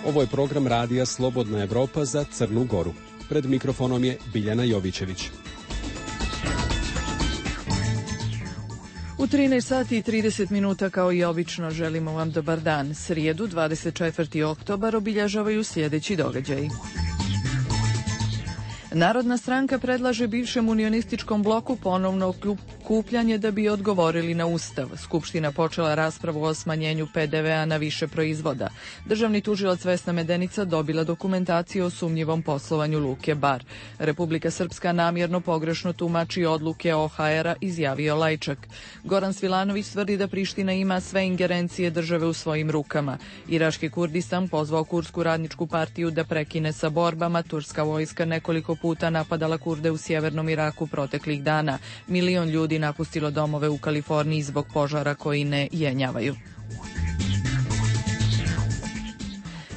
Ovo je program radija Slobodna Evropa za Crnu Goru. Pred mikrofonom je Biljana Jovićević. U 13 sati i 30 minuta kao i obično želimo vam dobar dan. Srijedu 24. oktobar obilježavaju sljedeći događaji. Narodna stranka predlaže bivšem unionističkom bloku ponovno okupljanje da bi odgovorili na Ustav. Skupština počela raspravu o smanjenju PDV-a na više proizvoda. Državni tužilac Vesna Medenica dobila dokumentaciju o sumnjivom poslovanju Luke Bar. Republika Srpska namjerno pogrešno tumači odluke OHR-a, izjavio Lajčak. Goran Svilanović tvrdi da Priština ima sve ingerencije države u svojim rukama. Irački Kurdistan pozvao Kurdsku radničku partiju da prekine sa borbama. Turska vojska nekoliko puta napadala Kurde u sjevernom Iraku proteklih dana. 1 milion ljudi napustilo domove u Kaliforniji zbog požara koji ne jenjavaju.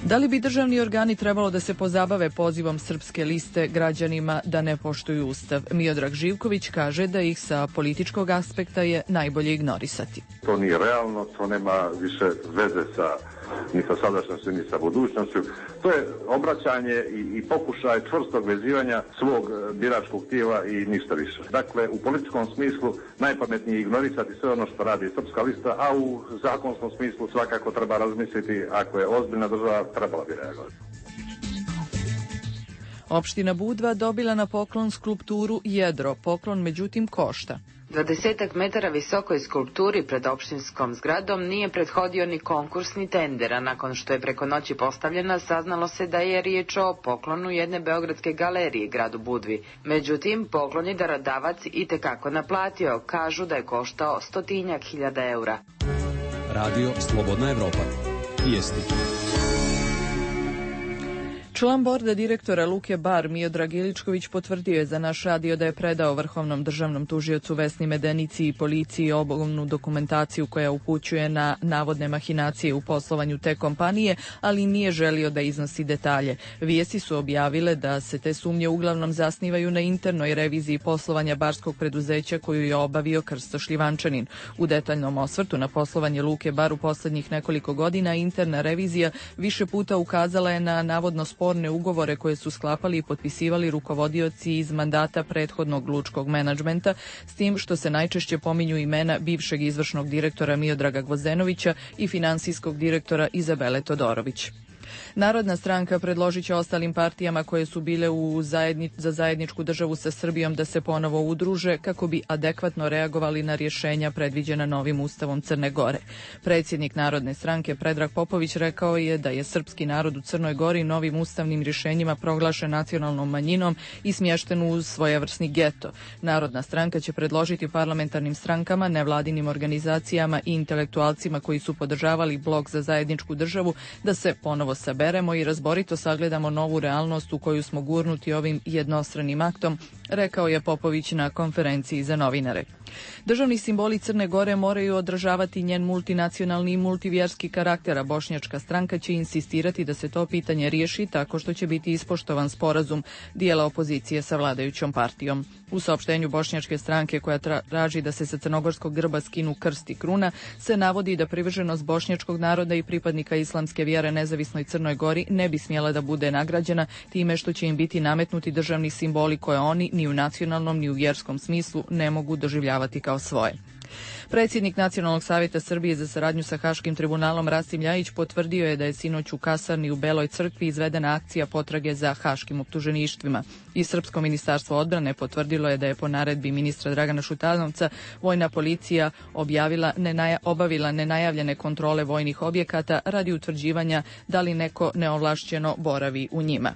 Da li bi državni organi trebalo da se pozabave pozivom Srpske liste građanima da ne poštuju Ustav? Miodrag Živković kaže da ih sa političkog aspekta je najbolje ignorisati. To nije realno, to nema više veze ni sa sadašnjošću, ni sa budućnošću. To je obraćanje i pokušaj čvrstog vezivanja svog biračkog tijela i ništa više. Dakle, u političkom smislu najpametnije je ignorisati sve ono što radi Srpska lista, a u zakonskom smislu svakako treba razmisliti, ako je ozbiljna država, trebala bi reagovati. Opština Budva dobila na poklon skulpturu Jedro. Poklon međutim košta. 20 metara visokoj skulpturi pred opštinskom zgradom nije prethodio ni konkurs ni tender, a nakon što je preko noći postavljena saznalo se da je riječ o poklonu jedne beogradske galerije gradu Budvi. Međutim, poklon je darodavac itekako naplatio, kažu da je koštao 100.000 eura. Radio Slobodna Evropa. Vijesti. Član borda direktora Luke Bar Miodrag Iličković potvrdio je za naš radio da je predao Vrhovnom državnom tužiocu Vesni Medenici i policiji obavnu dokumentaciju koja upućuje na navodne mahinacije u poslovanju te kompanije, ali nije želio da iznosi detalje. Vijesti su objavile da se te sumnje uglavnom zasnivaju na internoj reviziji poslovanja barskog preduzeća koju je obavio Krsto Šljivančanin. U detaljnom osvrtu na poslovanje Luke Bar u poslednjih nekoliko godina interna revizija više puta ukazala je na navodno sporne ugovore koje su sklapali i potpisivali rukovodioci iz mandata prethodnog lučkog menadžmenta, s tim što se najčešće pominju imena bivšeg izvršnog direktora Miodraga Gvozdenovića i finansijskog direktora Izabele Todorović. Narodna stranka predložit će ostalim partijama koje su bile za zajedničku državu sa Srbijom da se ponovo udruže kako bi adekvatno reagovali na rješenja predviđena novim Ustavom Crne Gore. Predsjednik Narodne stranke Predrag Popović rekao je da je srpski narod u Crnoj Gori novim ustavnim rješenjima proglašen nacionalnom manjinom i smješten u svojevrsni geto. Narodna stranka će predložiti parlamentarnim strankama, nevladinim organizacijama i intelektualcima koji su podržavali blok za zajedničku državu da se ponovo saberemo i razborito sagledamo novu realnost u koju smo gurnuti ovim jednostranim aktom, rekao je Popović na konferenciji za novinare. Državni simboli Crne Gore moraju odražavati njen multinacionalni i multivjerski karakter, a bošnjačka stranka će insistirati da se to pitanje riješi tako što će biti ispoštovan sporazum dijela opozicije sa vladajućom partijom. U saopštenju bošnjačke stranke koja traži da se sa crnogorskog grba skinu krst i kruna se navodi da privrženost bošnjačkog naroda i pripadnika islamske vjere nezavisnoj Crnoj Gori ne bi smjela da bude nagrađena time što će im biti nametnuti državni simboli koje oni ni u nacionalnom ni u vjerskom smislu ne mogu doživljavati kao svoje. Predsjednik Nacionalnog savjeta Srbije za saradnju sa Haškim tribunalom Rasim Ljajić potvrdio je da je sinoć u kasarni u Beloj crkvi izvedena akcija potrage za haškim optuženištvima. I Srpsko ministarstvo odbrane potvrdilo je da je po naredbi ministra Dragana Šutanovca vojna policija obavila nenajavljene kontrole vojnih objekata radi utvrđivanja da li neko neovlašćeno boravi u njima.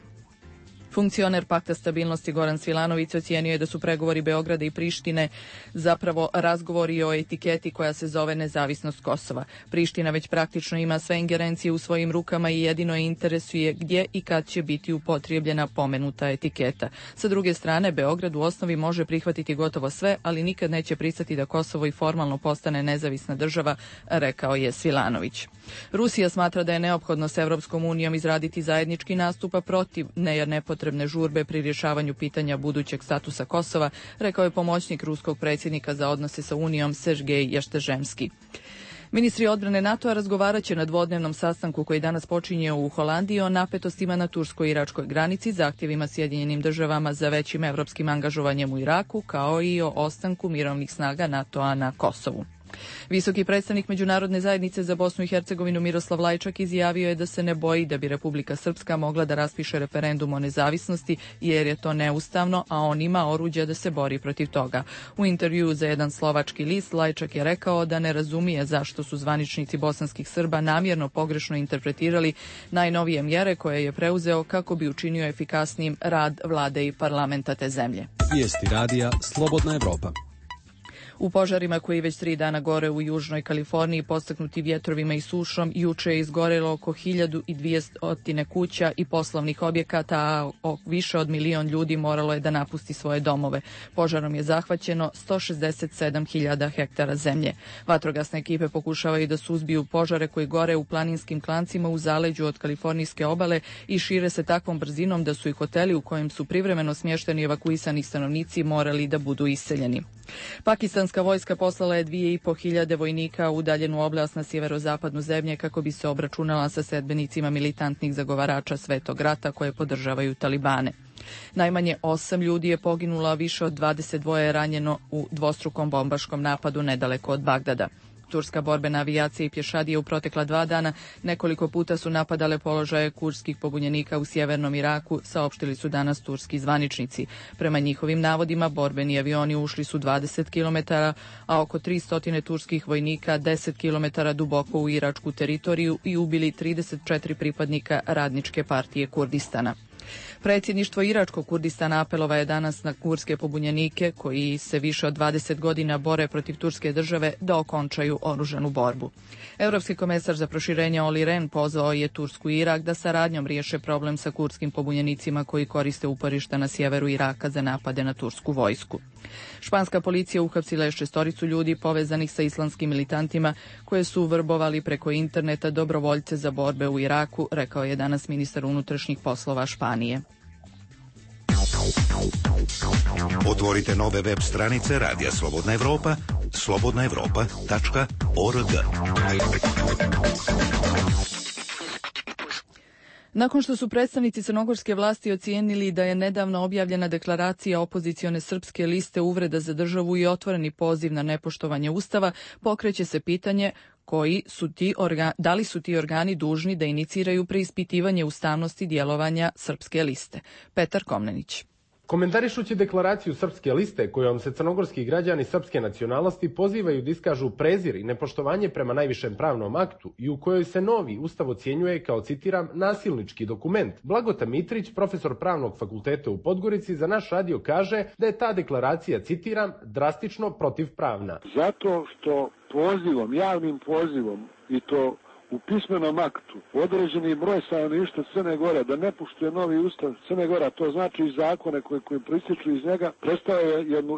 Funkcioner Pakta stabilnosti Goran Svilanović ocijenio je da su pregovori Beograda i Prištine zapravo razgovori o etiketi koja se zove nezavisnost Kosova. Priština već praktično ima sve ingerencije u svojim rukama i jedino je interesuje gdje i kad će biti upotrijebljena pomenuta etiketa. Sa druge strane, Beograd u osnovi može prihvatiti gotovo sve, ali nikad neće pristati da Kosovo i formalno postane nezavisna država, rekao je Svilanović. Rusija smatra da je neophodno s Evropskom unijom izraditi zajednički nastup protiv nepotrebne žurbe pri rješavanju pitanja budućeg statusa Kosova, rekao je pomoćnik ruskog predsjednika za odnose sa Unijom Sergej Ještežemski. Ministri odbrane NATO-a razgovarat će na dvodnevnom sastanku koji danas počinje u Holandiji o napetostima na tursko-iračkoj granici, zahtjevima Sjedinjenim državama za većim evropskim angažovanjem u Iraku, kao i o ostanku mirovnih snaga NATO-a na Kosovu. Visoki predstavnik Međunarodne zajednice za Bosnu i Hercegovinu Miroslav Lajčak izjavio je da se ne boji da bi Republika Srpska mogla da raspiše referendum o nezavisnosti jer je to neustavno, a on ima oruđa da se bori protiv toga. U intervjuu za jedan slovački list Lajčak je rekao da ne razumije zašto su zvaničnici bosanskih Srba namjerno pogrešno interpretirali najnovije mjere koje je preuzeo kako bi učinio efikasnijim rad vlade i parlamenta te zemlje. Vijesti radija Slobodna Evropa. U požarima koji već 3 dana gore u južnoj Kaliforniji, podstaknuti vjetrovima i sušom, juče je izgorelo oko 1200 kuća i poslovnih objekata, a više od 1 milion ljudi moralo je da napusti svoje domove. Požarom je zahvaćeno 167.000 hektara zemlje. Vatrogasne ekipe pokušavaju da suzbiju požare koji gore u planinskim klancima u zaleđu od kalifornijske obale i šire se takvom brzinom da su i hoteli u kojem su privremeno smješteni evakuisani stanovnici morali da budu iseljeni. Pakistanska vojska poslala je 2.500 vojnika u udaljenu oblast na sjeverozapadnu zemlje kako bi se obračunala sa sledbenicima militantnih zagovarača Svetog rata koje podržavaju Talibane. Najmanje 8 ljudi je poginulo, a više od 22 je ranjeno u dvostrukom bombaškom napadu nedaleko od Bagdada. Turska borbena avijacija i pješadije u protekla 2 dana nekoliko puta su napadale položaje kurdskih pobunjenika u sjevernom Iraku, saopštili su danas turski zvaničnici. Prema njihovim navodima, borbeni avioni ušli su 20 km, a oko 300 turskih vojnika 10 km duboko u iračku teritoriju i ubili 34 pripadnika Radničke partije Kurdistana. Predsjedništvo iračkog Kurdistana apelova je danas na kurdske pobunjenike koji se više od 20 godina bore protiv turske države da okončaju oružanu borbu. Europski komesar za proširenje Olli Rehn pozvao je Tursku i Irak da saradnjom riješe problem sa kurdskim pobunjenicima koji koriste uporišta na sjeveru Iraka za napade na tursku vojsku. Španska policija uhapsila je 6 ljudi povezanih sa islamskim militantima koje su vrbovali preko interneta dobrovoljce za borbe u Iraku, rekao je danas ministar unutrašnjih poslova Španije. Otvorite nove web stranice Radija Slobodna Evropa, slobodnaevropa.org. Nakon što su predstavnici crnogorske vlasti ocijenili da je nedavno objavljena deklaracija opozicione srpske liste uvreda za državu i otvoreni poziv na nepoštovanje Ustava, pokreće se pitanje da li su ti organi dužni da iniciraju preispitivanje ustavnosti djelovanja srpske liste. Petar Komnenić. Komentarišući deklaraciju Srpske liste kojom se crnogorski građani srpske nacionalnosti pozivaju da iskažu prezir i nepoštovanje prema najvišem pravnom aktu i u kojoj se novi ustav ocjenjuje kao, citiram, nasilnički dokument, Blagota Mitrić, profesor pravnog fakulteta u Podgorici, za naš radio kaže da je ta deklaracija, citiram, drastično protivpravna. Zato što pozivom, javnim pozivom i to u pismenom aktu određeni broj stanovništva Crne Gore da ne poštuje novi ustav Crne Gore, to znači i zakone koji proističu iz njega, predstavlja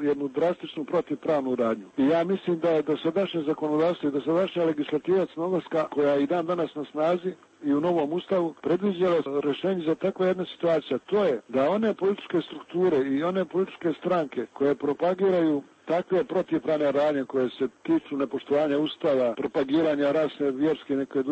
jednu drastičnu protivpravnu radnju. I ja mislim da je dosadašnje zakonodavstvo i dosadašnja legislativa crnogorska, koja je i dan danas na snazi i u novom ustavu, predviđala rješenje za takva jedna situacija. To je da one političke strukture i one političke stranke koje propagiraju takve protivpravne radnje koje se tiču nepoštovanja ustava, propagiranja rasne, vjerske, neke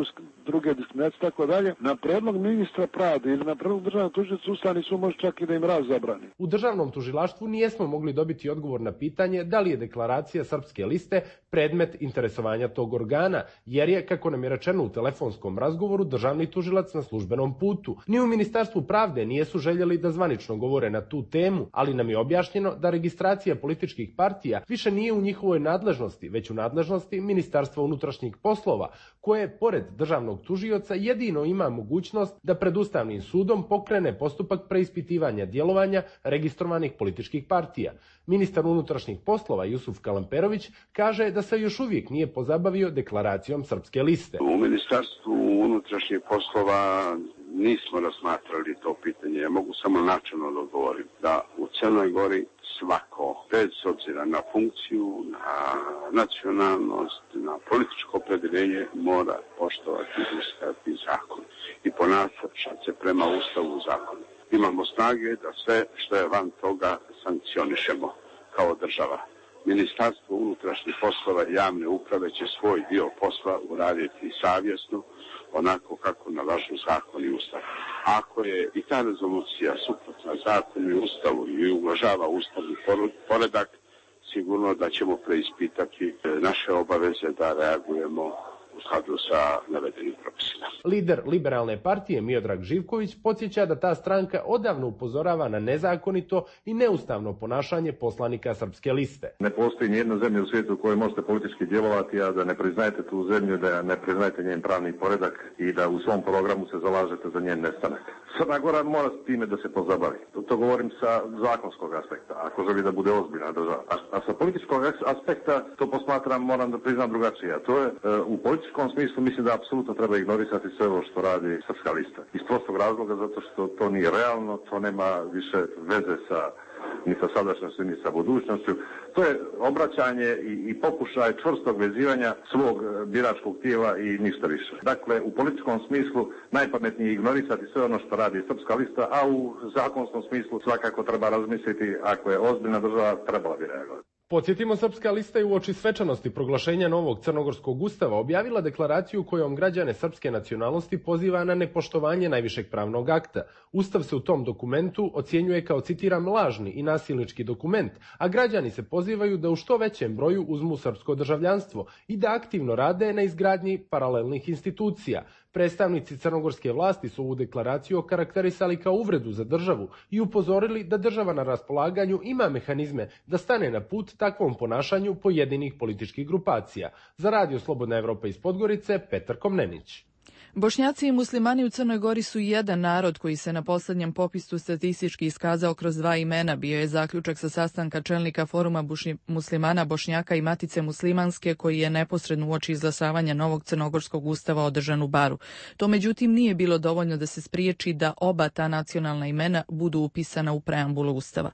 druge diskriminacije, tako dalje, na predlog ministra pravde ili na predlog državnog tužioca Ustavni sud može čak i da im zabrani. U državnom tužilaštvu nijesmo mogli dobiti odgovor na pitanje da li je deklaracija Srpske liste predmet interesovanja tog organa, jer je, kako nam je rečeno u telefonskom razgovoru, državni tužilac na službenom putu. Ni u Ministarstvu pravde nijesu željeli da zvanično govore na tu temu, ali nam je objašnjeno da registracija političkih partija više nije u njihovoj nadležnosti, već u nadležnosti Ministarstva unutrašnjih poslova, koje, pored državnog tužioca, jedino ima mogućnost da pred Ustavnim sudom pokrene postupak preispitivanja djelovanja registrovanih političkih partija. Ministar unutrašnjih poslova Jusuf Kalamperović kaže da se još uvijek nije pozabavio deklaracijom Srpske liste. U Ministarstvu unutrašnjih poslova nismo razmatrali to pitanje. Ja mogu samo načelno da odgovorim da u Crnoj Gori svako, bez obzira na funkciju, na nacionalnost, na političko opredjeljenje, mora poštovati Ustav i zakon i ponašati se prema Ustavu i zakonu. Imamo snage da sve što je van toga sankcionišemo kao država. Ministarstvo unutrašnjih poslova i javne uprave će svoj dio posla uraditi savjesno, onako kako nalažu zakon i ustav. Ako je i ta rezolucija suprotna zakonu i ustavu i uvažava ustavni poredak, sigurno da ćemo preispitati naše obaveze da reagujemo u skladu sa navedenim propisima. Lider Liberalne partije Miodrag Živković podsjeća da ta stranka odavno upozorava na nezakonito i neustavno ponašanje poslanika Srpske liste. Ne postoji nijedna zemlja u svijetu u kojoj možete politički djelovati, a da ne priznajete tu zemlju, da ne priznajete njen pravni poredak i da u svom programu se zalažete za njen nestanak. Crna Gora mora s time da se pozabavi. To govorim sa zakonskog aspekta, ako želi da bude ozbiljna država. A sa političkog aspekta to posmatram, moram da priznam drugačije. A to je u političkom smislu mislim da apsolutno treba ignorisati sve ovo što radi Srpska lista. Iz prostog razloga zato što to nije realno, to nema više veze ni sa sadašnjošću, ni sa budućnošću. To je obraćanje i pokušaj čvrstog vezivanja svog biračkog tijela i ništa više. Dakle, u političkom smislu najpametnije je ignorisati sve ono što radi Srpska lista, a u zakonskom smislu svakako treba razmisliti, ako je ozbiljna država, trebala bi reagovati. Podsjetimo, Srpska lista je uoči svečanosti proglašenja novog crnogorskog ustava objavila deklaraciju kojom građane srpske nacionalnosti poziva na nepoštovanje najvišeg pravnog akta. Ustav se u tom dokumentu ocjenjuje kao, citiram, lažni i nasilnički dokument, a građani se pozivaju da u što većem broju uzmu srpsko državljanstvo i da aktivno rade na izgradnji paralelnih institucija. Predstavnici crnogorske vlasti su ovu deklaraciju okarakterisali kao uvredu za državu i upozorili da država na raspolaganju ima mehanizme da stane na put takvom ponašanju pojedinih političkih grupacija. Za Radio Slobodna Evropa iz Podgorice, Petar Komnenić. Bošnjaci i muslimani u Crnoj Gori su jedan narod koji se na posljednjem popisu statistički iskazao kroz dva imena, bio je zaključak sa sastanka čelnika foruma muslimana, Bošnjaka i Matice muslimanske koji je neposredno uoči izglasavanja novog crnogorskog ustava održan u Baru. To međutim nije bilo dovoljno da se spriječi da oba ta nacionalna imena budu upisana u preambulu ustava.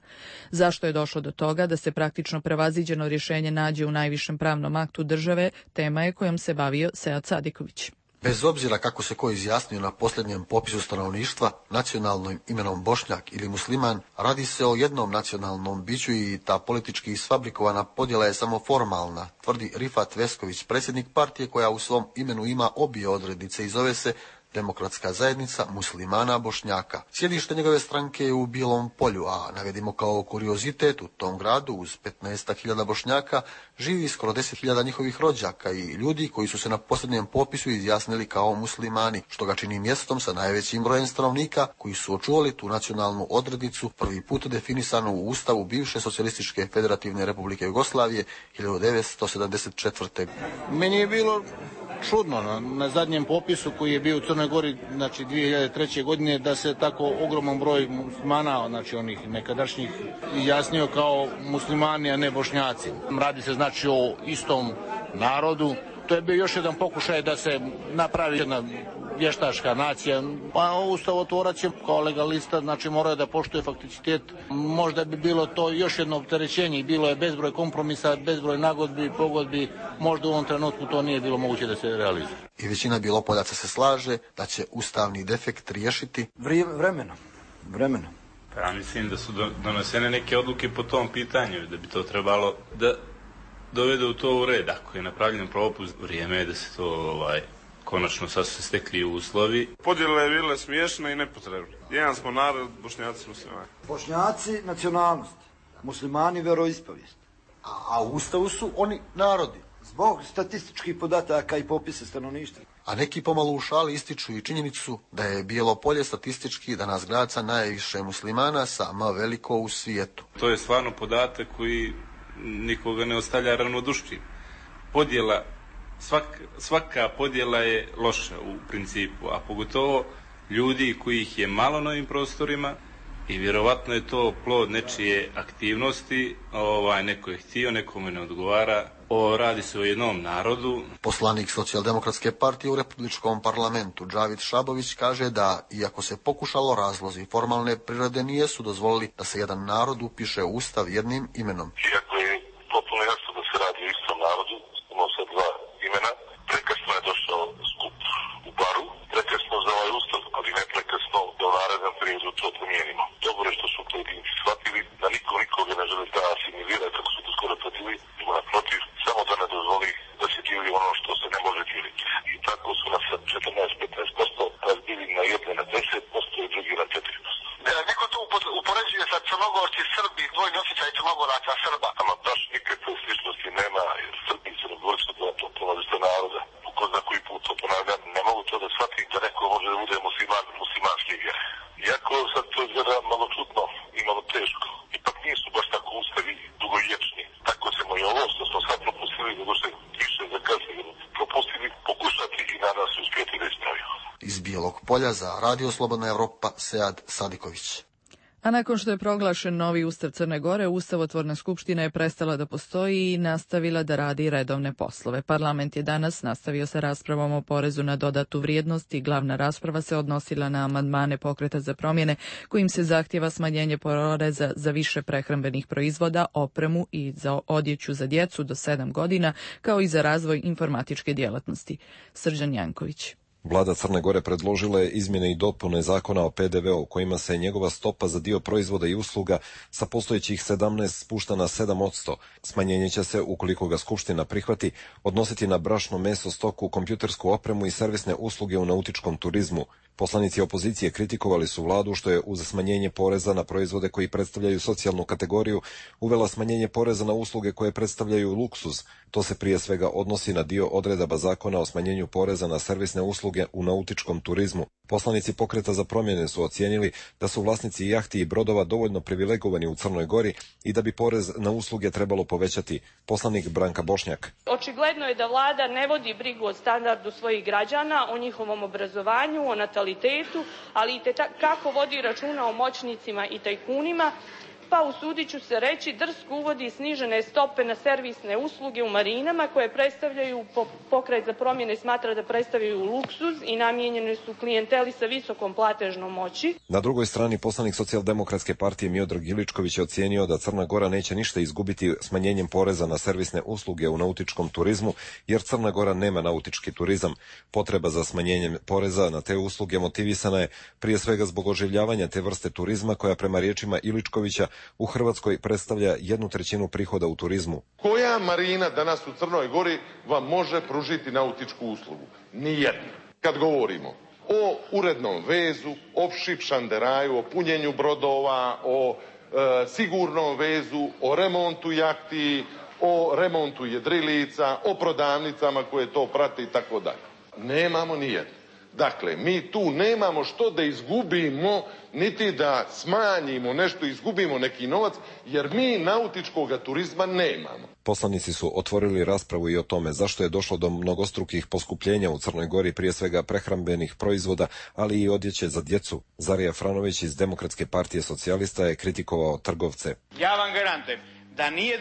Zašto je došlo do toga da se praktično prevaziđeno rješenje nađe u najvišem pravnom aktu države, tema je kojom se bavio Sead Sadiković. Bez obzira kako se ko izjasnio na posljednjem popisu stanovništva, nacionalnim imenom Bošnjak ili musliman, radi se o jednom nacionalnom biću i ta politički isfabrikovana podjela je samo formalna, tvrdi Rifat Vesković, predsjednik partije koja u svom imenu ima obje odrednice i zove se Demokratska zajednica muslimana Bošnjaka. Sjedište njegove stranke je u Bijelom Polju, a navedimo kao kuriozitet u tom gradu uz 15.000 Bošnjaka živi skoro 10.000 njihovih rođaka i ljudi koji su se na posljednjem popisu izjasnili kao muslimani, što ga čini mjestom sa najvećim brojem stanovnika koji su očuvali tu nacionalnu odrednicu prvi put definisanu u Ustavu bivše Socijalističke Federativne Republike Jugoslavije 1974. Meni je bilo čudno na zadnjem popisu koji je bio u Crnoj Gori, znači 2003. godine, da se tako ogroman broj muslimana, znači onih nekadašnjih, izjasnio kao muslimani, a ne Bošnjaci. Radi se znači o istom narodu. To je bio još jedan pokušaj da se napravi jedna vještačka nacija. Pa ustavotvorac je kao legalista, znači morao da poštuje fakticitet. Možda bi bilo to još jedno opterećenje i bilo je bezbroj kompromisa, bezbroj nagodbi, pogodbi. Možda u ovom trenutku to nije bilo moguće da se realizuje. I većina Bjelopoljaca se slaže da će ustavni defekt riješiti vremenom. Pa ja mislim da su donesene neke odluke po tom pitanju, da bi to trebalo da dovede u to u red. Ako je napravljen propust, vrijeme je da se to konačno sad su se stekli uslovi. Podjela je bila smiješna i nepotrebna. Jedan smo narod, Bošnjaci muslimani. Bošnjaci nacionalnost, muslimani veroispovijest. A u Ustavu su oni narodi. Zbog statističkih podataka i popisa stanovništva. A neki pomalo u šali ističu i činjenicu da je Bijelo Polje statistički danas grad sa najviše muslimana, sama veliko u svijetu. To je stvarno podatak koji nikoga ne ostavlja ravnodušnim. Podjela, svaka podjela je loša u principu, a pogotovo ljudi kojih je malo na ovim prostorima i vjerovatno je to plod nečije aktivnosti, neko je htio, nekome ne odgovara. Radi se o jednom narodu. Poslanik Socijaldemokratske partije u Republičkom parlamentu Džavid Šabović kaže da, iako se pokušalo, razlozi formalne prirode nisu dozvolili da se jedan narod upiše u Ustav jednim imenom. Iako je potpuno jasno da se radi o istom narodu, imamo sad dva imena, prekasno je došao skup u Baru, prekasno za ovaj Ustav, ali ne prekasno da u narednom periodu to promijenimo. Dobro je što su pojedinci shvatili da niko nikoga ne želi da asimilira, kako su to skoro tvrdili, crnogorci, Srbi, dvojni osjećaj crnogoraca, Srba. Ama baš nikakve sličnosti nema, jer Srbi i crnogorci to različita naroda. Ko zna koji put to ponavljam, ne mogu to da shvatim da neko može da bude muslimanske vjere. Iako sad to izgleda malo čudno i malo teško, ipak nisu baš tako ustavi dugovječni. Tako ćemo i ovo što smo sad propustili, nego što više zakasnili propustili, pokušati i nadam se uspjeti da ispravimo. Iz Bijelog Polja za Radio Slobodna Evropa, Sead Sadiković. A nakon što je proglašen novi ustav Crne Gore, Ustavotvorna skupština je prestala da postoji i nastavila da radi redovne poslove. Parlament je danas nastavio sa raspravom o porezu na dodatu vrijednost i glavna rasprava se odnosila na amandmane Pokreta za promjene kojim se zahtjeva smanjenje poreza za više prehrambenih proizvoda, opremu i za odjeću za djecu do 7 godina, kao i za razvoj informatičke djelatnosti. Srđan Janković. Vlada Crne Gore predložila je izmjene i dopune zakona o PDV-u kojima se njegova stopa za dio proizvoda i usluga sa postojećih 17 spušta na 7%. Smanjenje će se, ukoliko ga Skupština prihvati, odnositi na brašno, meso, stoku, kompjutersku opremu i servisne usluge u nautičkom turizmu. Poslanici opozicije kritikovali su vladu što je uz smanjenje poreza na proizvode koji predstavljaju socijalnu kategoriju uvela smanjenje poreza na usluge koje predstavljaju luksuz. To se prije svega odnosi na dio odredaba zakona o smanjenju poreza na servisne usluge u nautičkom turizmu. Poslanici Pokreta za promjene su ocijenili da su vlasnici jahti i brodova dovoljno privilegovani u Crnoj Gori i da bi porez na usluge trebalo povećati. Poslanik Branka Bošnjak. Očigledno je da vlada ne vodi brigu o standardu svojih građana, o njihovom obrazovanju, o natalitetu, ali i kako vodi računa o moćnicima i tajkunima, pa usudit ću se reći drsko uvodi snižene stope na servisne usluge u marinama koje predstavljaju, Pokret za promjene smatra da predstavljaju luksuz i namijenjene su klijenteli sa visokom platežnom moći. Na drugoj strani poslanik Socijaldemokratske partije Miodrag Iličković je ocijenio da Crna Gora neće ništa izgubiti smanjenjem poreza na servisne usluge u nautičkom turizmu, jer Crna Gora nema nautički turizam. Potreba za smanjenjem poreza na te usluge motivisana je prije svega zbog oživljavanja te vrste turizma koja prema riječima Iličkovića u Hrvatskoj predstavlja 1/3 prihoda u turizmu. Koja marina danas u Crnoj Gori vam može pružiti nautičku uslugu? Nijedna. Kad govorimo o urednom vezu, o šipšanderaju, o punjenju brodova, o sigurnom vezu, o remontu jahti, o remontu jedrilica, o prodavnicama koje to prate i tako dalje. Nemamo nijedno. Dakle, mi tu nemamo što da izgubimo, niti da smanjimo nešto, izgubimo neki novac, jer mi nautičkog turizma nemamo. Poslanici su otvorili raspravu i o tome zašto je došlo do mnogostrukih poskupljenja u Crnoj Gori, prije svega prehrambenih proizvoda, ali i odjeće za djecu. Zarija Franović iz Demokratske partije socijalista je kritikovao trgovce. Ja vam garantujem da nije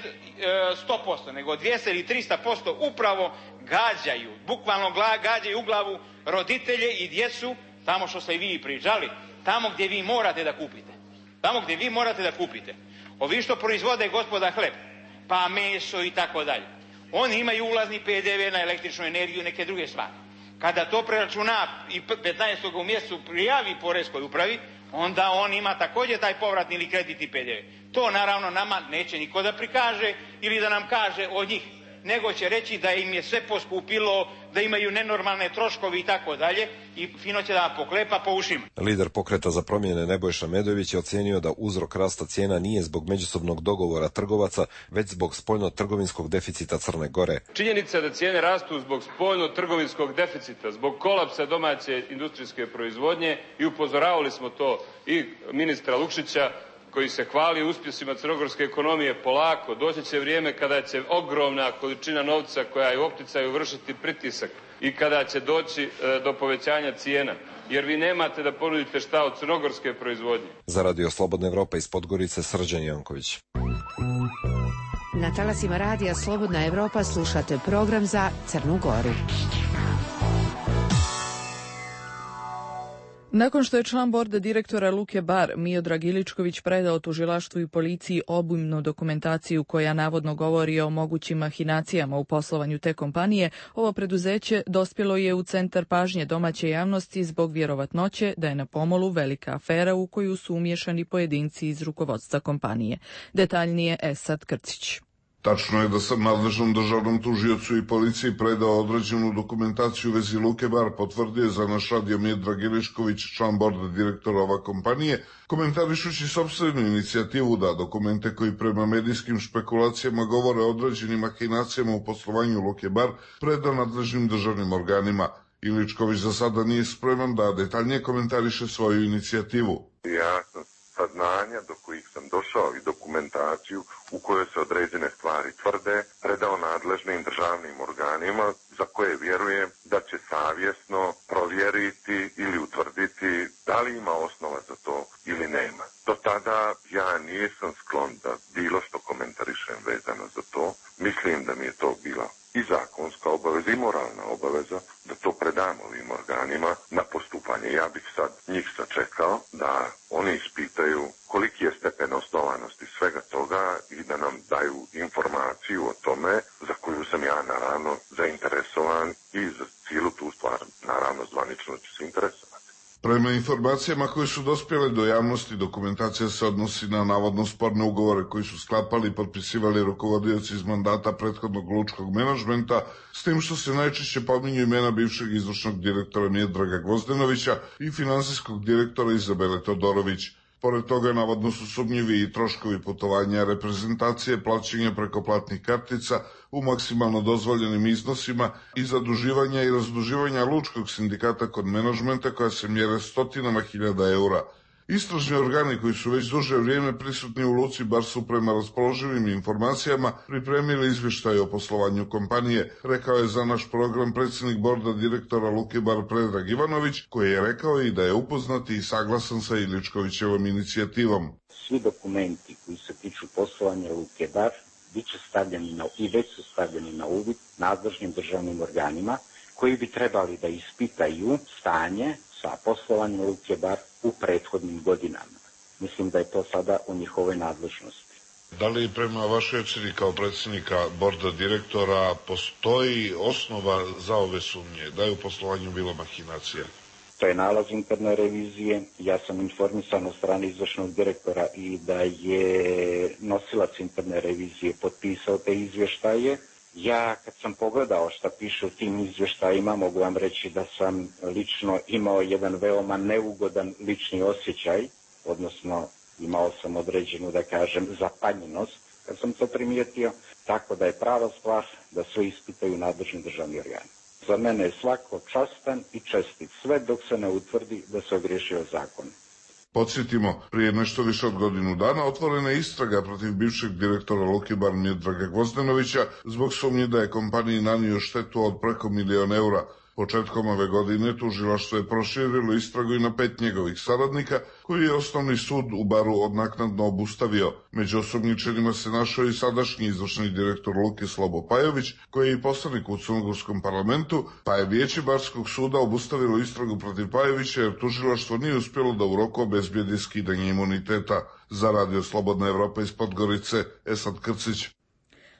100%, nego 200 ili 300% upravo gađaju, bukvalno gađaju u glavu roditelje i djecu, tamo što ste i vi pričali, tamo gdje vi morate da kupite. Tamo gdje vi morate da kupite. Ovi što proizvode gospoda hleb, pa meso i tako dalje. Oni imaju ulazni PDV na električnu energiju i neke druge stvari. Kada to preračuna i 15. u mjesecu prijavi poreskoj upravi, onda on ima također taj povratni ili kreditni PDV. To naravno nama neće niko da prikaže ili da nam kaže od njih, nego će reći da im je sve poskupilo, da imaju nenormalne troškovi i tako dalje i fino će da poklepa po ušima. Lider Pokreta za promjene Nebojša Medojević je ocijenio da uzrok rasta cijena nije zbog međusobnog dogovora trgovaca, već zbog spoljno-trgovinskog deficita Crne Gore. Činjenica da cijene rastu zbog spoljno-trgovinskog deficita, zbog kolapsa domaće industrijske proizvodnje i upozoravali smo to i ministra Lukšića, koji se hvali uspjesima crnogorske ekonomije. Polako, doći će vrijeme kada će ogromna količina novca koja je u opticaju vršiti pritisak i kada će doći do povećanja cijena, jer vi nemate da ponudite šta od crnogorske proizvodnje. Za Radio Slobodna Evropa iz Podgorice, Srđan Janković. Na talasima Radija Slobodna Evropa slušate program za Crnu Goru. Nakon što je član borda direktora Luke Bar Miodrag Iličković predao tužilaštvu i policiji obimnu dokumentaciju koja navodno govori o mogućim mahinacijama u poslovanju te kompanije, ovo preduzeće dospjelo je u centar pažnje domaće javnosti zbog vjerovatnoće da je na pomolu velika afera u koju su umiješani pojedinci iz rukovodstva kompanije. Detaljnije Esad Krcić. Tačno je da sam nadležnom državnom tužiocu i policiji predao određenu dokumentaciju u vezi Luke Bar, potvrdio je za naš radio Miodrag Ilišković, član borda direktora ova kompanije, komentarišući sopstvenu inicijativu da dokumente koji prema medijskim špekulacijama govore o određenim mahinacijama u poslovanju Luke Bar preda nadležnim državnim organima. Iličković za sada nije spreman da detaljnije komentariše svoju inicijativu. Ja sam saznanja do kojih sam došao i dokumentaciju u kojoj se određene stvari tvrde predao nadležnim državnim organima za koje vjerujem da će savjesno provjeriti ili utvrditi da li ima osnova za to ili nema. Do tada ja nisam sklon da bilo što komentarišem vezano za to. Mislim da mi je to bila i zakonska obaveza i moralna obaveza da to predam ovim organima na postupanje. Ja bih sad njih sačekao da oni ispitaju koliki je stepen osnovanosti svega toga i da nam daju informaciju o tome za koju sam ja naravno zainteresovan i za cijelu tu stvar naravno zvanično ću se interesovati. Prema informacijama koje su dospjele do javnosti, dokumentacija se odnosi na navodno sporne ugovore koji su sklapali i potpisivali rukovodioci iz mandata prethodnog lučkog menadžmenta, s tim što se najčešće pominju imena bivšeg izvršnog direktora Miodraga Gvozdenovića i finansijskog direktora Izabele Todorović. Pored toga, navodno su sumnjivi i troškovi putovanja reprezentacije, plaćanja preko platnih kartica u maksimalno dozvoljenim iznosima i zaduživanja i razduživanja lučkog sindikata kod menadžmenta koja se mjere stotinama hiljada eura. Istražni organi koji su već duže vrijeme prisutni u Luci Bar su prema raspoloživim informacijama pripremili izvještaj o poslovanju kompanije, rekao je za naš program predsjednik borda direktora Luke Bar Predrag Ivanović, koji je rekao i da je upoznat i saglasan sa Iličkovićevom inicijativom. Svi dokumenti koji se tiču poslovanja Luke Bar bit će stavljeni i već su stavljeni na uvid nadležnim državnim organima koji bi trebali da ispitaju stanje sa poslovanjem Luke Bar u prethodnim godinama. Mislim da je to sada u njihovoj nadležnosti. Da li prema vašoj ocjeni kao predsjednika borda direktora postoji osnova za ove sumnje? Da je u poslovanju bilo mahinacija? To je nalaz interne revizije. Ja sam informisan od strane izvršnog direktora i da je nosilac interne revizije potpisao te izvještaje. Ja kad sam pogledao šta piše u tim izvještajima, mogu vam reći da sam lično imao jedan veoma neugodan lični osjećaj, odnosno imao sam određenu, da kažem, zapanjenost kad sam to primijetio, tako da je prava stvar da sve ispitaju nadležni državni organi. Za mene je svako častan i čestit, sve dok se ne utvrdi da se ogriješio zakon. Podsjetimo, prije nešto više od godinu dana otvorena je istraga protiv bivšeg direktora Luke Bar Miodraga Gvozdenovića zbog sumnje da je kompaniji nanio štetu od preko 1 milion eura. Početkom ove godine tužilaštvo je proširilo istragu i na 5 njegovih saradnika, koji je osnovni sud u Baru odnaknadno obustavio. Među osumnjičenima se našao i sadašnji izvršni direktor Luke Slobo Pajović, koji je i poslanik u crnogorskom parlamentu, pa je vijeće Barskog suda obustavilo istragu protiv Pajovića jer tužilaštvo nije uspjelo da u roku obezbijedi skidanje imuniteta. Za Radio Slobodna Evropa iz Podgorice, Esad Krcić.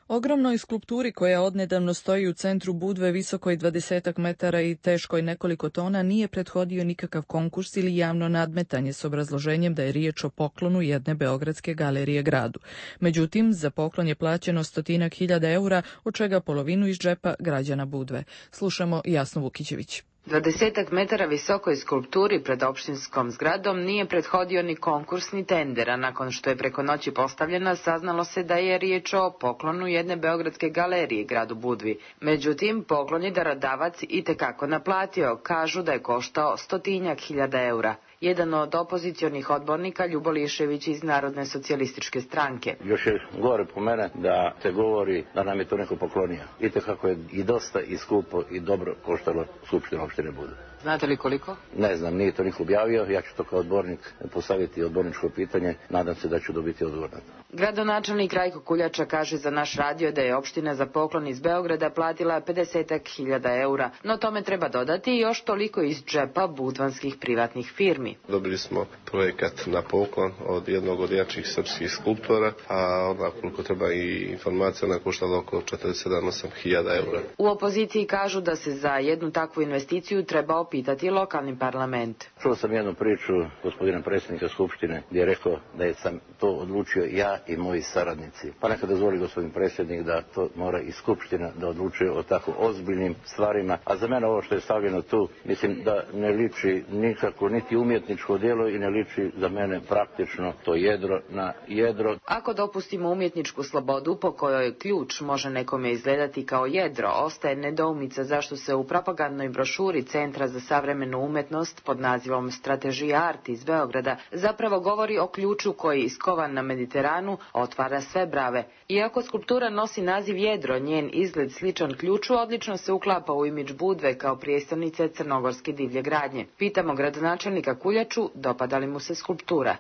Ogromnoj skulpturi koja odnedavno stoji u centru Budve, visokoj 20 metara i teškoj nekoliko tona, nije prethodio nikakav konkurs ili javno nadmetanje s obrazloženjem da je riječ o poklonu jedne beogradske galerije gradu. Međutim, za poklon je plaćeno 100.000 eura, od čega polovinu iz džepa građana Budve. Slušamo Jasnu Vukićević. 20 metara visokoj skulpturi pred opštinskom zgradom nije prethodio ni konkurs ni tender, a nakon što je preko noći postavljena, saznalo se da je riječ o poklonu jedne beogradske galerije gradu Budvi. Međutim, poklon je darodavac itekako naplatio, kažu da je koštao 100.000 eura. Jedan od opozicionih odbornika, Ljubo Lišević iz Narodne socijalističke stranke. Još je gore po mene da se govori da nam je to neko poklonio. Itekako je i dosta i skupo i dobro koštalo Skupštinu opštine Budve. Znate li koliko? Ne znam, nije to niko objavio. Ja ću to kao odbornik postaviti odborničko pitanje. Nadam se da ću dobiti odgovor na to. Gradonačelnik Rajko Kuljača kaže za naš radio da je opština za poklon iz Beograda platila 50.000 eura, no tome treba dodati još toliko iz džepa budvanskih privatnih firmi. Dobili smo projekat na poklon od jednog od jačih srpskih skulptora, a onda koliko treba i informacija, ona koštala oko 47.000 eura. U opoziciji kažu da se za jednu takvu investiciju treba pitati lokalni parlament. Čuo sam jednu priču gospodina predsjednika Skupštine gdje je rekao da sam to odlučio ja i moji saradnici. Pa neka dozvoli gospodin predsjednik da to mora i Skupština da odlučuje o tako ozbiljnim stvarima. A za mene ovo što je stavljeno tu, mislim da ne liči nikako niti umjetničko djelo i ne liči za mene praktično to jedro na jedro. Ako dopustimo umjetničku slobodu po kojoj ključ može nekome izgledati kao jedro, ostaje nedoumica zašto se u propagandnoj brošuri Centra za savremenu umjetnost pod nazivom Strategija Art iz Beograda zapravo govori o ključu koji iskovan na Mediteranu otvara sve brave. Iako skulptura nosi naziv jedro, njen izgled sličan ključu odlično se uklapa u imidž Budve kao prijestolnice crnogorske divlje gradnje. Pitamo gradonačelnika Kuljaču dopada li mu se skulptura.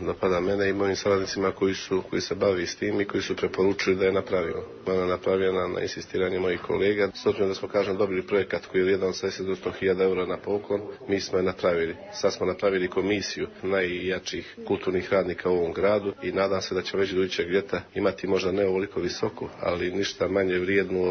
Dopada mene i mojim saradnicima koji se bavi s tim i koji su preporučili da je napravimo. Ona je napravljena na insistiranje mojih kolega. S obzirom da smo, dobili projekat koji je vrijedan 70-100.000 eura na poklon, mi smo je napravili. Sad smo napravili komisiju najjačih kulturnih radnika u ovom gradu i nadam se da ćemo već do idućeg ljeta imati možda ne ovoliko visoku, ali ništa manje vrijednu,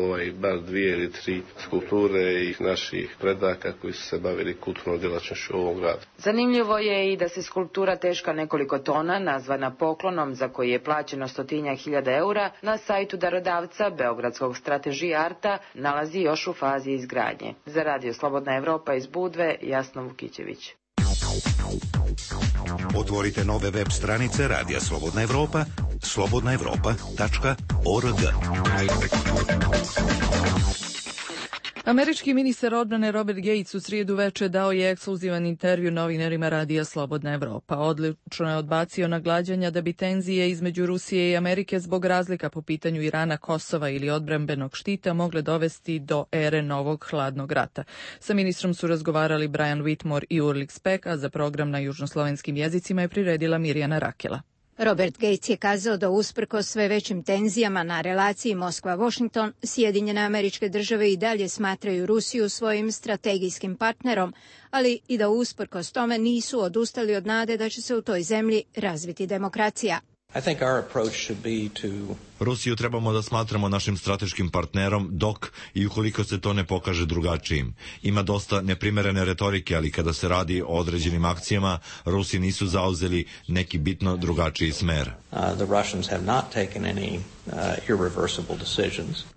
bar 2 ili 3 skulpture i naših predaka koji su se bavili kulturnom djelatnošću u ovom gradu. Zanimljivo je i da se skulptura teška nekoliko tona, nazvana poklonom za koji je plaćeno 100.000 eura, na sajtu darodavca Beogradskog Strategija Arta nalazi još u fazi izgradnje. Za Radio Slobodna Evropa iz Budve, Jasna Vukićević. Otvorite nove web stranice Radija Slobodna Evropa, slobodnaevropa.org. Američki ministar odbrane Robert Gates u srijedu veče dao je ekskluzivan intervju novinarima Radija Slobodna Evropa. Odlično je odbacio nagađanja da bi tenzije između Rusije i Amerike zbog razlika po pitanju Irana, Kosova ili odbrambenog štita mogle dovesti do ere novog hladnog rata. Sa ministrom su razgovarali Brian Whitmore i Ulrich Speck, a za program na južnoslovenskim jezicima je priredila Mirjana Rakela. Robert Gates je kazao da usprkos sve većim tenzijama na relaciji Moskva-Washington, Sjedinjene Američke Države i dalje smatraju Rusiju svojim strategijskim partnerom, ali i da usprkos tome nisu odustali od nade da će se u toj zemlji razviti demokracija. Rusiju trebamo da smatramo našim strateškim partnerom dok i ukoliko se to ne pokaže drugačijim. Ima dosta neprimerene retorike, ali kada se radi o određenim akcijama, Rusi nisu zauzeli neki bitno drugačiji smer.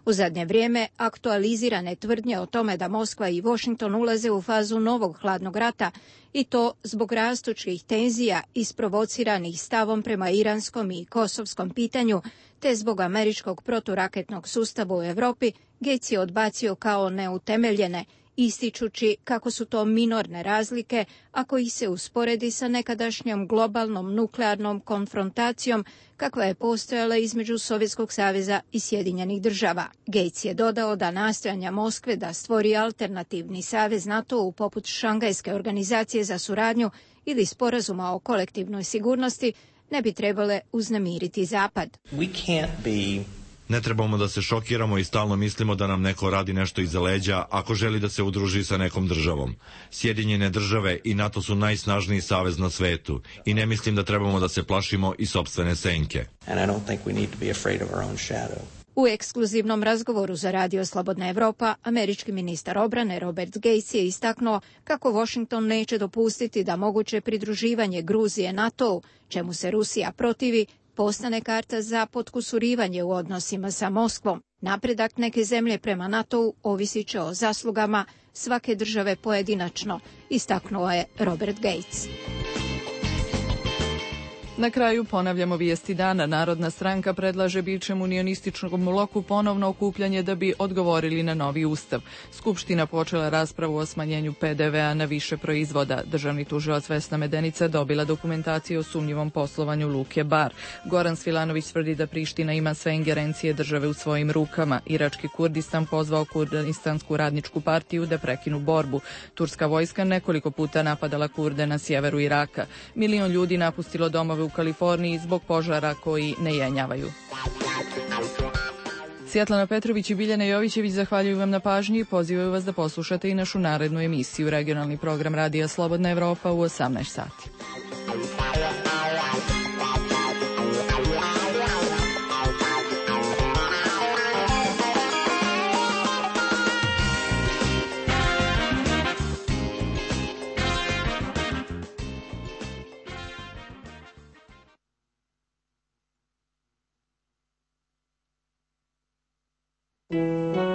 U zadnje vrijeme aktualizirane tvrdnje o tome da Moskva i Washington ulaze u fazu novog hladnog rata i to zbog rastućih tenzija isprovociranih stavom prema iranskom i kosovskom pitanju, te zbog američkog proturaketnog sustava u Europi, Gates je odbacio kao neutemeljene, ističući kako su to minorne razlike ako ih se usporedi sa nekadašnjom globalnom nuklearnom konfrontacijom kakva je postojala između Sovjetskog saveza i Sjedinjenih država. Gates je dodao da nastojanja Moskve da stvori alternativni savez NATO-u poput Šangajske organizacije za suradnju ili sporazuma o kolektivnoj sigurnosti ne bi trebale uznemiriti Zapad. Ne trebamo da se šokiramo i stalno mislimo da nam neko radi nešto iza leđa ako želi da se udruži sa nekom državom. Sjedinjene države i NATO su najsnažniji savez na svetu i ne mislim da trebamo da se plašimo i sopstvene senke. U ekskluzivnom razgovoru za Radio Slobodna Evropa, američki ministar obrane Robert Gates je istaknuo kako Washington neće dopustiti da moguće pridruživanje Gruzije NATO-u, čemu se Rusija protivi, postane karta za potkusurivanje u odnosima sa Moskvom. Napredak neke zemlje prema NATO-u ovisit će o zaslugama svake države pojedinačno, istaknuo je Robert Gates. Na kraju ponavljamo vijesti dana. Narodna stranka predlaže bivšem unionističkom bloku ponovno okupljanje da bi odgovorili na novi ustav. Skupština počela raspravu o smanjenju PDV-a na više proizvoda. Državni tužilac Vesna Medenica dobila dokumentaciju o sumnjivom poslovanju Luke Bar. Goran Svilanović tvrdi da Priština ima sve ingerencije države u svojim rukama. Irački Kurdistan pozvao Kurdistansku radničku partiju da prekinu borbu. Turska vojska nekoliko puta napadala Kurde na sjeveru Iraka. 1 milion ljudi napustilo domove u Kaliforniji zbog požara koji ne jenjavaju. Svjetlana Petrović i Biljana Jovićević zahvaljuju vam na pažnji i pozivaju vas da poslušate i našu narednu emisiju, regionalni program Radija Slobodna Evropa u 18 sati. Thank you.